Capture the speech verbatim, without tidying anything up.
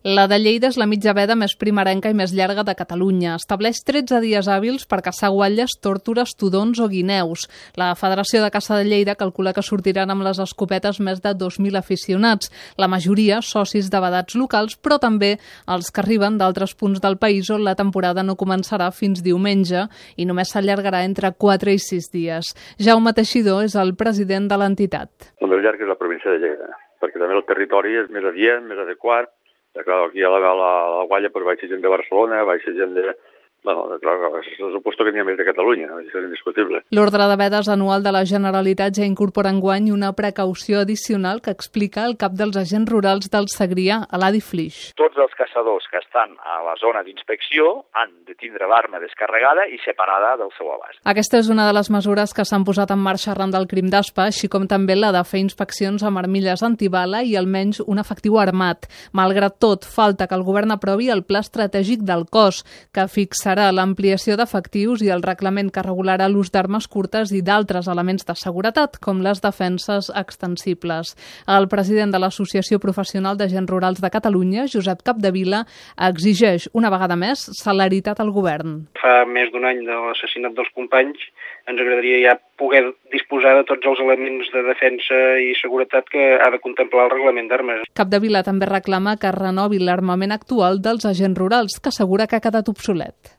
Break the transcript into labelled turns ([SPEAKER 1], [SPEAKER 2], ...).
[SPEAKER 1] La de Lleida és la mitja veda més primerenca i més llarga de Catalunya. Estableix tretze dies hàbils per caçar guatlles, tórtores, tudons o guineus. La Federació de Caça de Lleida calcula que sortiran amb les escopetes més de dos mil aficionats, la majoria socis de vedats locals, però també els que arriben d'altres punts del país on la temporada no començarà fins diumenge i només s'allargarà entre quatre i sis dies. Jaume Teixidor és el president de l'entitat.
[SPEAKER 2] El més llarg és la província de Lleida, perquè també el territori és més adient, més adequat. Clar, aquí a la, la, la gualla pues, baixa gent de Barcelona, baixa gent de... Bueno, clar, se suposo que n'hi ha més de Catalunya, això és indiscutible.
[SPEAKER 1] L'ordre de vedes anual de la Generalitat ja incorpora enguany una precaució addicional que explica el cap dels agents rurals del Segrià, Eladi Flix.
[SPEAKER 3] Tots els caçadors que estan a la zona d'inspecció han de tindre l'arma descarregada i separada del seu abast.
[SPEAKER 1] Aquesta és una de les mesures que s'han posat en marxa arran del crim d'Aspa, així com també la de fer inspeccions amb armilles antibala i almenys un efectiu armat. Malgrat tot, falta que el govern aprovi el pla estratègic del cos, que fixarà l'ampliació d'efectius i el reglament que regularà l'ús d'armes curtes i d'altres elements de seguretat, com les defenses extensibles. El president de l'Associació Professional d'Agents Rurals de Catalunya, Josep Capdevila, exigeix una vegada més celeritat al govern.
[SPEAKER 4] Fa més d'un any de l'assassinat dels companys, ens agradaria ja poder disposar de tots els elements de defensa i seguretat que ha de contemplar el reglament d'armes.
[SPEAKER 1] Capdevila també reclama que renovi l'armament actual dels agents rurals, que assegura que ha quedat obsolet.